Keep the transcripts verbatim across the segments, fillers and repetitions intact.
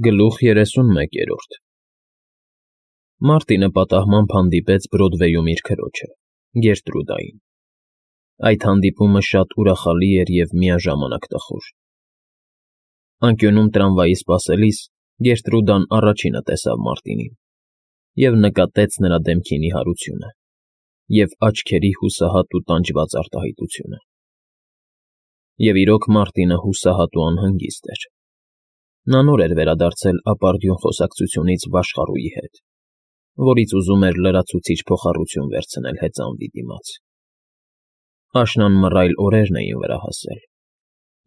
Գլուխ երեսունմեկերորդ Մարտինը պատահմամբ հանդիպեց Բրոդվեյում իր քրոջը, Գերտրուդային. այդ հանդիպումը շատ ուրախալի էր և միաժամանակ տխուր. անկյունում տրամվայի սպասելիս Գերտրուդան առաջինը տեսավ Մարտինին և նկատեց նրա դեմքի նիհարությունը և աչքերի հուսահատ ու տանջված արտահայտությունը. և իրոք Մարտինը հուսահատ ու անհանգիստ էր. նա նոր էր վերադարձել ապարդյուն խոսակցությունից Վաշխառուի հետ, որից ուզում էր լրացուցիչ փոխառություն վերցնել հեծանվի դիմաց. աշնան մռայլ օրերն էին վրա հասել,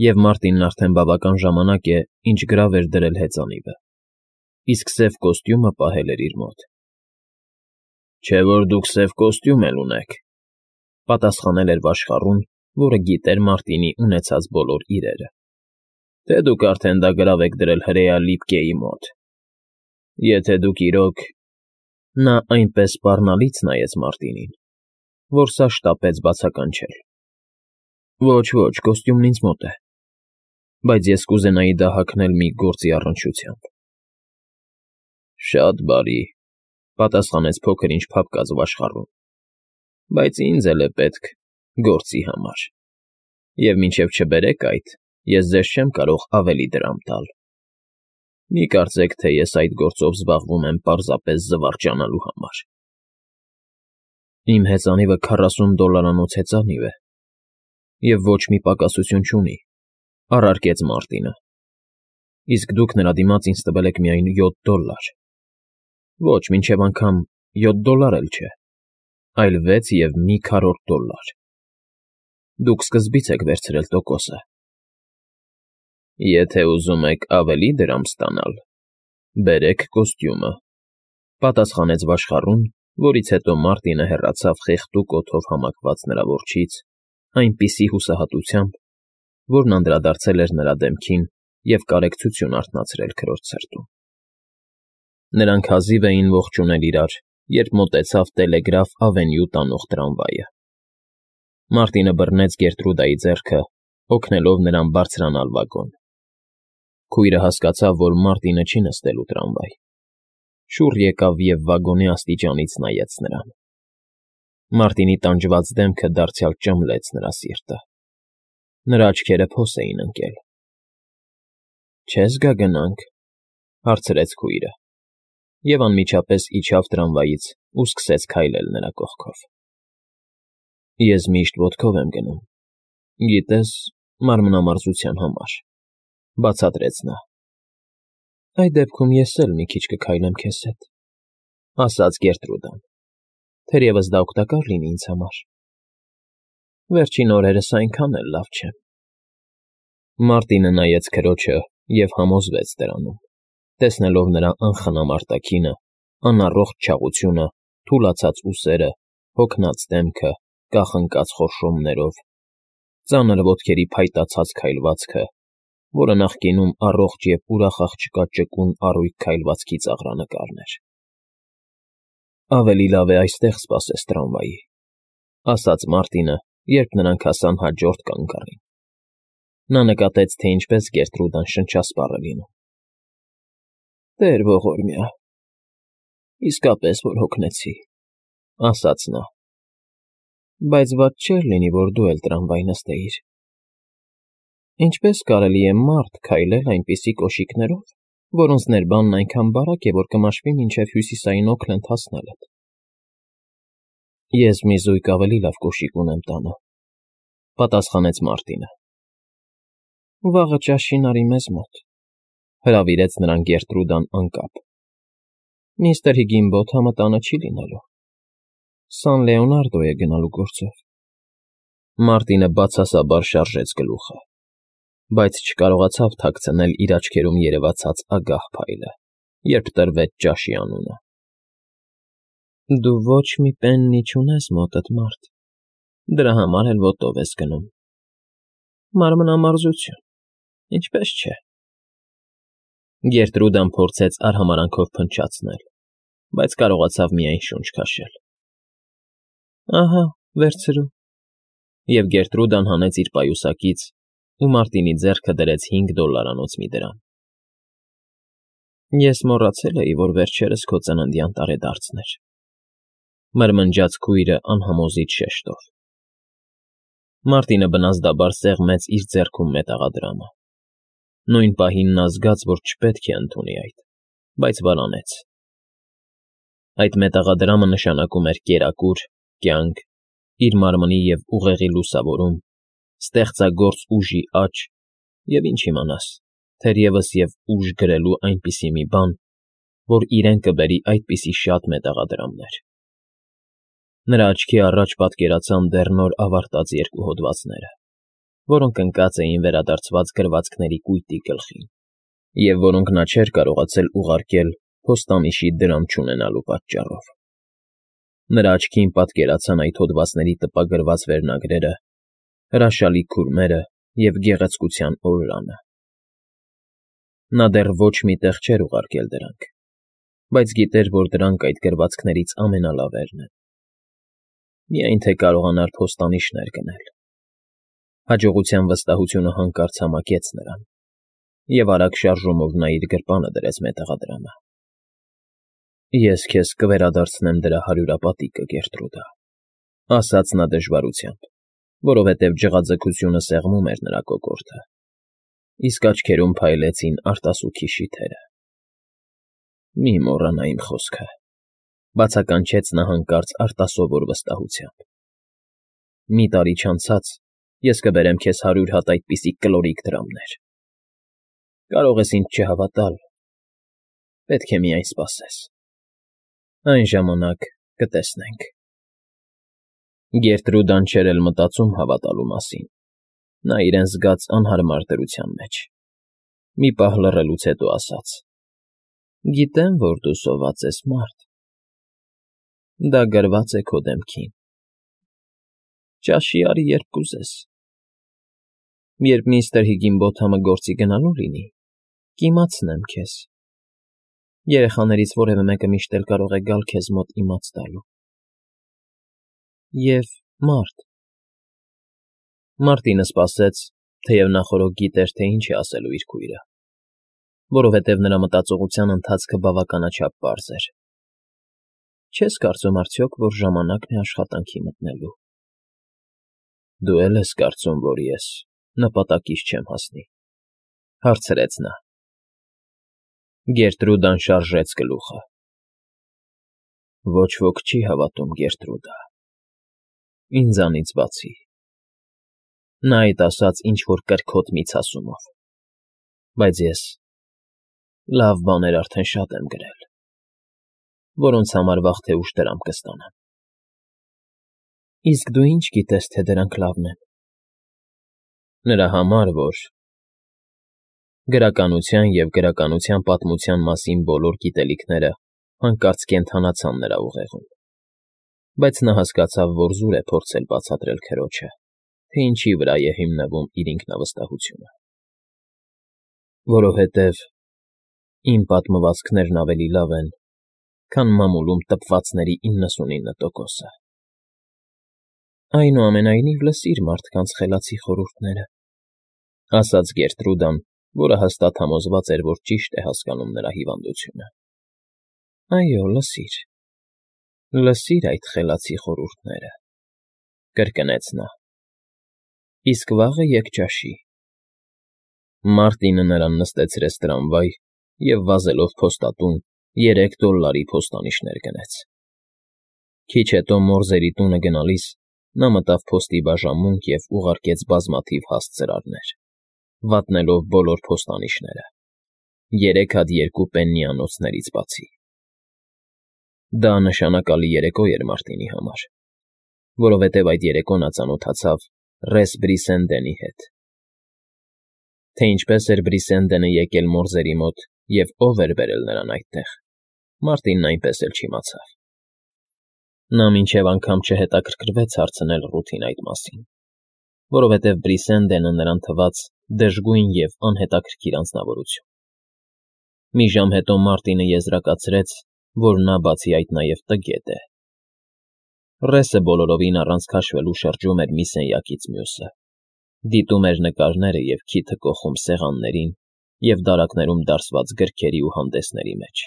և Մարտինն արդեն բավական ժամանակ է, ինչ գրավ էր դրել հեծանիվը, իսկ սև կոստյումը պահել էր իր մոտ։ ֊ Չէ՞ որ դուք սև կոստյում էլ ունեք,֊ պատասխանել էր Վաշխառուն, որը գիտեր Մարտինի ունեցած բոլոր իրերը,֊ թե դուք արդեն դա գրավ եք դրել հրեա Լիպկեի մոտ… Եթե դուք իրոք… Նա այնպես սպառնալից նայեց Մարտինին, որ սա շտապեց բացականչել. Ոչ, ոչ, կոստյումն ինձ մոտ է, բայց ես կուզենայի դա հագնել մի գործի առնչությամբ։ ֊ Շատ բարի,֊ պատասխանեց փոքր֊ինչ փափկած Վաշխառուն,֊ բայց ինձ էլ է պետք գործի համար, և մինչև չբերեք այդ, ես ձեզ չեմ կարող ավելի դրամ տալ… Մի կարծեք, թե ես այդ գործով զբաղվում եմ պարզապես զվարճանալու համար… ֊ Իմ հեծանիվը քառասուն դոլարանոց հեծանիվ է և ոչ մի պակասություն չունի,֊ առարկեց Մարտինը,֊ իսկ դուք նրա դիմաց ինձ տվել եք միայն յոթ դոլլար… Ոչ, մինչև անգամ յոթ դոլլար էլ չէ, այլ վեց և մի քառորդ դոլլար… Դուք սկզբից եք վերցրել տոկոսը… ֊ Եթե ուզում եք ավելի դրամ ստանալ, բերեք կոստյումը,֊ պատասխանեց Վաշխառուն, որից հետո Մարտինը հեռացավ խեղդուկ օդով համակված նրա որջից այնպիսի հուսահատությամբ, որն անդրադարձել էր նրա դեմքին և կարեկցություն արթնացրել քրոջ սրտում։ Նրանք հազիվ էին ողջունել իրար, երբ մոտեցավ Տելեգրաֆ Ավենյու տանող տրամվայը։ Մարտինը բռնեց Գերտրուդայի ձեռքը, օգնելով նրան բարձրանալ վագոն։ Քույրը հասկացավ, որ Մարտինը չի նստելու տրամվայ, շուռ եկավ և վագոնի աստիճանից նայեց նրան։ Մարտինի տանջված դեմքը դարձյալ ճմլեց նրա սիրտը։ Նրա աչքերը փոս էին ընկել։ ֊ Չե՞ս գա գնանք,֊ հարցրեց քույրը և անմիջապես իջավ տրամվայից ու սկսեց քայլել նրա կողքով։ ֊ Ես միշտ ոտքով եմ գնում, գիտես, մանրամարզության համար,֊ բացատրեց նա։ ֊ Այդ դեպքում ես էլ մի քիչ կքայլեմ քեզ հետ,֊ ասաց Գերտրուդան,֊ թերևս դա օգտակար լինի ինձ համար… Վերջին օրերս այնքան էլ լավ չեմ… Մարտինը նայեց քրոջը և համոզվեց դրանում, տեսնելով նրա անխնամ արտաքինը, անառողջ չաղությունը, թուլացած ուսերը, հոգնած դեմքը, կախնկած խորշոմներով, ծանր ոտքերի փայտացած քայլվածքը, որը նախկինում առողջ և ուրախ աղջկա ճկուն առույգ քայլվածքի ծաղրանկարն էր։ ֊ Ավելի լավ է այստեղ սպասես տրամվայի,֊ ասաց Մարտինը, երբ նրանք հասան հաջորդ կանգառին։ Նա նկատեց, թե ինչպես Գերտրուդան շնչասպառ է լինում։ ֊ Տեր ողորմյա, իսկապես որ հոգնեցի,֊ ասաց նա,֊ բայց վատ չէր լինի, որ դու էլ տրամվայ նստեիր… Ինչպե՞ս կարելի է մարդ քայլել այնպիսի կոշիկներով, որոնց ներբանն այնքան բարակ է, որ կմաշվի մինչև Հյուսիսային Օքլենդ հասնելդ։ ֊ Ես մի զույգ ավելի լավ կոշիկ ունեմ տանը,֊ պատասխանեց Մարտինը։ ֊ Վաղը ճաշին արի մեզ մոտ,֊ հրավիրեց նրան Գերտրուդան անկապ։ Միստր Հիգինբոթամը տանը չի լինելու, Սան Լեոնարդո է գնալու գործով… Մարտինը բացասաբար շարժեց գլուխը, բայց չկարողացավ թաքցնել իր աչքերում երևացած ագահ փայլը, երբ տրվեց ճաշի անունը։ ֊ Դու ոչ մի պեննի չունես մոտդ, մարդ, դրա համար էլ ոտով ես գնում… Մանրամարզություն, ինչպես չէ… Գերտրուդան փորձեց արհամարհանքով փնչացնել, բայց կարողացավ միայն շունչ քաշել։ ֊ Ահա, վերցրու…֊ Եվ Գերտրուդան հանեց իր պայուսակից ու Մարտինի ձեռքը դրեց հինգ դոլլարանոց մի դրամ։ ֊ Ես մոռացել էի, որ վերջերս քո ծննդյան տարեդարձն էր,֊ մրմնջաց քույրը անհամոզիչ շեշտով։ Մարտինը բնազդաբար սեղմեց իր ձեռքում մետաղադրամը։ Նույն պահին նա զգաց, որ չպետք է ընդունի այդ, բայց վարանեց։ Այդ մետաղադրամը նշանակում էր կերակուր, կյանք, իր մարմնի և ուղեղի լուսավորում, ստեղծագործ ուժի աճ և ինչ իմանաս, թերևս և ուժ գրելու այնպիսի մի բան, որ իրեն կբերի այդպիսի շատ մետաղադրամներ։ Նրա աչքի առաջ պատկերացան դեռ նոր ավարտած երկու հոդվածները, որոնք ընկած էին վերադարձված գրվածքների կույտի գլխին, և որոնք նա չէր կարողացել ուղարկել փոստանիշի դրամ չունենալու պատճառով։ Նրա աչքին պատկերացան այդ հոդվածների տպագրված վերնագրերը, հրաշալի քուրմերը և գեղեցկության օրրանը։ Նա դեռ ոչ մի տեղ չէր ուղարկել դրանք, բայց գիտեր, որ դրանք այդ գրվածքներից ամենալավերն են։ Միայն թե կարողանար փոստանիշներ գնել։ Հաջողության վստահությունը հանկարծ համակեց նրան, և արագ շարժումով նա իր գրպանը դրեց մետաղադրամը։ «Ես քեզ կվերադարձնեմ դրա հարյուրապատիկը, Գերտրուդա,֊ ասաց նա դժվարությամբ, որովհետև ջղաձգությունը սեղմում էր նրա կոկորդը, իսկ աչքերում փայլեցին արտասուքի շիթերը։ Մի մոռանա իմ խոսքը,֊ բացականչեց նա հանկարծ արտասովոր վստահությամբ։ Մի տարի չանցած ես կբերեմ քեզ հարյուր հատ այդպիսի կլորիկ դրամներ։ Կարող ես ինձ չհավատալ, պետք է միայն սպասես։ Այն ժամանակ կտեսնենք»։ Գերտրուդան չէր էլ մտածում հավատալու մասին, նա իրեն զգաց անհարմար դրության մեջ։ Մի պահ լռելուց հետո ասաց. «Գիտեմ, որ դու սոված ես, մարդ։ Դա գրված է քո դեմքին։ Ճաշի արի, երբ կուզես։ Երբ միստր Հիգինբոթամը գործի գնալու լինի, կիմացնեմ քեզ։ Երեխաներից որևէ մեկը միշտ էլ կարող է գալ քեզ մոտ իմաց տալու։ Եվ, մարդ…» Մարտինը սպասեց, թեև նախօրոք գիտեր, թե ինչ է ասելու իր քույրը, որովհետև նրա մտածողության ընթացքը բավականաչափ պարզ էր։ «Չես կարծում արդյոք, որ ժամանակն է աշխատանքի մտնելու»։ «Դու էլ ես կարծում, որ ես նպատակիս չեմ հասնի,֊ հարցրեց նա։ Գերտրուդան շարժեց գլուխը։ «Ոչ ոք չի հավատում, Գերտրուդա, ինձանից բացի,֊ նա այդ ասաց ինչ֊որ կրքոտ միցասումով,֊ բայց ես լավ բաներ արդեն շատ եմ գրել, որոնց համար վաղ թե ուշ դրամ կստանամ»։ «Իսկ դու ի՞նչ գիտես, թե դրանք լավն են»։ «Նրա համար, որ…» Գրականության և գրականության պատմության մասին բոլոր գիտելիքները հանկարծ կենդանացան նրա ուղեղում, բայց նա հասկացավ, որ զուր է փորձել բացատրել քրոջը, թե ինչի վրա է հիմնվում իր ինքնավստահությունը։ «Որովհետև իմ պատմվածքներն ավելի լավ են, քան մամուլում տպվածների իննսունինը տոկոսը»։ «Այնուամենայնիվ, լսիր մարդկանց խելացի խորհուրդները,֊ ասաց Գերտրուդան, որը հաստատ համոզված էր, որ ճիշտ է հասկանում նրա հիվանդությունը։ Այո, լսիր, լսիր այդ խելացի խորհուրդները,֊ կրկնեց նա։ Իսկ վաղը եկ ճաշի։ Մարտինը նրան նստեցրեց տրամվայ և վազելով փոստատուն երեք դոլլարի փոստանիշներ գնեց։ Քիչ հետո Մորզերի տունը գնալիս նա մտավ փոստի բաժանմունք և ուղարկեց բազմաթիվ հաստ ծրարներ, վատնելով բոլոր փոստանիշները, երեք հատ երկու պեննիանոցներից բացի։ Դա նշանակալի երեկո էր Մարտինի համար, որովհետև այդ երեկո նա ծանոթացավ Ռես Բրիսենդենի հետ։ Թե ինչպես էր Բրիսենդենը եկել Մորզերի մոտ և ով էր բերել նրան այդտեղ, Մարտինն այնպես էլ չիմացավ։ Նա մինչև անգամ չհետաքրքրվեց հարցնել Ռութին այդ մասին, որովհետև Բրիսենդենը նրան թվաց դժգույն և անհետաքրքիր անձնավորություն։ Մի ժամ հետո Մարտինը եզրակացրեց, որ նա բացի այդ նաև տգետ է։ Ռեսը բոլորովին առանց քաշվելու շրջում էր մի սենյակից մյուսը, դիտում էր նկարները և քիթը կոխում սեղաններին և դարակներում դարսված գրքերի ու հանդեսների մեջ։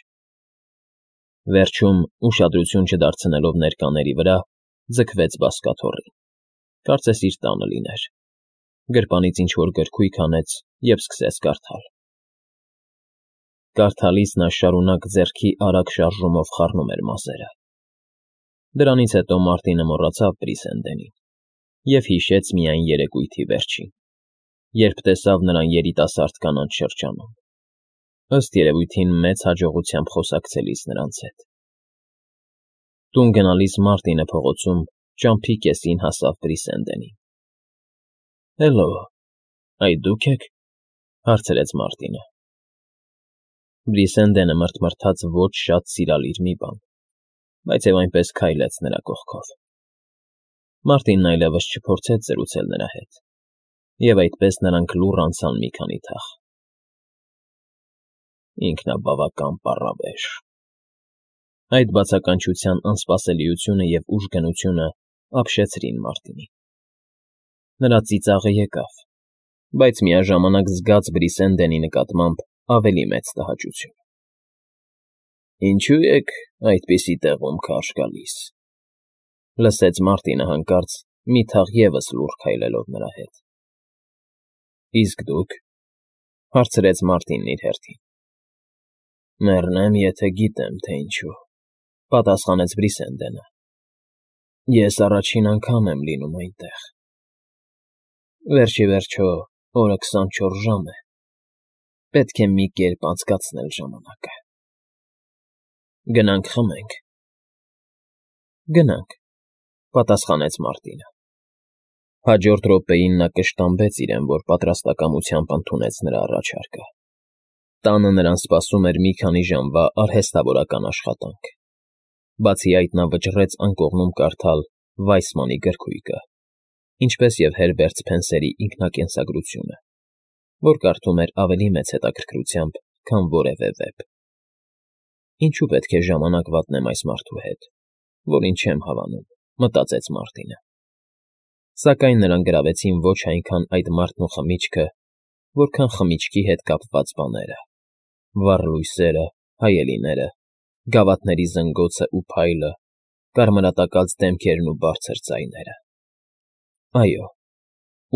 Վերջում, ուշադրություն չդարձնելով ներկաների վրա, ձգվեց բազկաթոռին, կարծես իր տանը լիներ, գրպանից ինչ֊որ գրքույկ հանեց և սկսեց կարդալ։ Կարդալիս նա շարունակ ձեռքի արագ շարժումով խառնում էր մազերը։ Դրանից հետո Մարտինը մոռացավ Բրիսենդենին և հիշեց միայն երեկույթի վերջին, երբ տեսավ նրան երիտասարդ կանանց շրջանում, ըստ երևույթին մեծ հաջողությամբ խոսակցելիս նրանց հետ։ Տուն գնալիս Մարտինը փողոցում ճամփի կեսին հասավ Բրիսենդենին։ ֊ Հելլո, այդ դու՞ք եք,֊ հարցրեց Մարտինը։ Բրիսենդենը մռթմռթաց ոչ շատ սիրալիր մի բան, բայց և այնպես քայլեց նրա կողքով։ Մարտինն այլևս չփորձեց զրուցել նրա հետ, և այդպես նրանք լուռ անցան մի քանի թաղ։ Ինքնաբավական պառավեշ… Այդ բացականչության անսպասելիությունը և ուժգնությունը ապշեցրին Մարտինին։ Նրա ծիծաղը եկավ, բայց միաժամանակ զգաց Բրիսենդենի նկատմամբ ավելի մեծ տհաճություն։ ֊ Ինչո՞ւ եք այդպիսի տեղում քարշ գալիս,֊ լսեց Մարտինը հանկարծ մի թաղ ևս լուռ քայլելով նրա հետ։ ֊ Իսկ դուք,֊ հարցրեց Մարտինն իր հերթին։ ֊ Մեռնեմ, եթե գիտեմ, թե ինչու,֊ պատասխանեց Բրիսենդենը։ Ես առաջին անգամ եմ լինում այնտեղ։ Վերջ ի վերջո օրը քսանչորս ժամ է, պետք է մի կերպ անցկացնել ժամանակը։ Գնանք խմենք։ ֊ Գնանք,֊ պատասխանեց Մարտինը։ Հաջորդ րոպեին նա կշտամբեց իրեն, որ պատրաստակամությամբ ընդունեց նրա առաջարկը։ Տանը նրան սպասում էր մի քանի ժամվա արհեստավորական աշխատանք։ Բացի այդ նա վճռեց անկողնում կարդալ Վայսմանի գրքույկը, ինչպես և Հերբերտ Սփենսերի ինքնակենսագրությունը, որ կարդում էր ավելի մեծ հետաքրքրությամբ, քան որևէ վեպ։ Ինչու պետք է ժամանակ վատնեմ այս մարդու հետ, որին չեմ հավանում, մտածեց Մարտինը։ Սակայն նրան գրավեցին ոչ այնքան այդ մարդն ու խմիչքը, որքան խմիչքի հետ կապված բաները՝ վառ լույսերը, հայելիները, գավաթների զնգոցն ու փայլը, կարմրատակած դեմքերն ու բարձր ձայները։ Այո,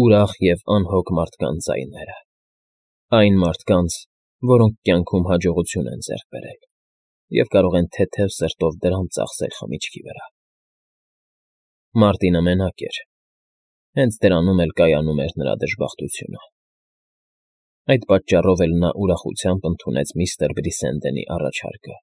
ուրախ և անհոգ մարդկանց ձայները, այն մարդկանց, որոնք կյանքում հաջողություն են ձեռք բերել և կարող են թեթև սրտով դրամ ծախսել խմիչքի վրա։ Մարտինը մենակ էր, հենց դրանում էլ կայանում էր նրա դժբախտությունը։ Այդ պատճառով էլ նա ուրախությամբ ընդունեց միստր Բրիսենդենի առաջարկը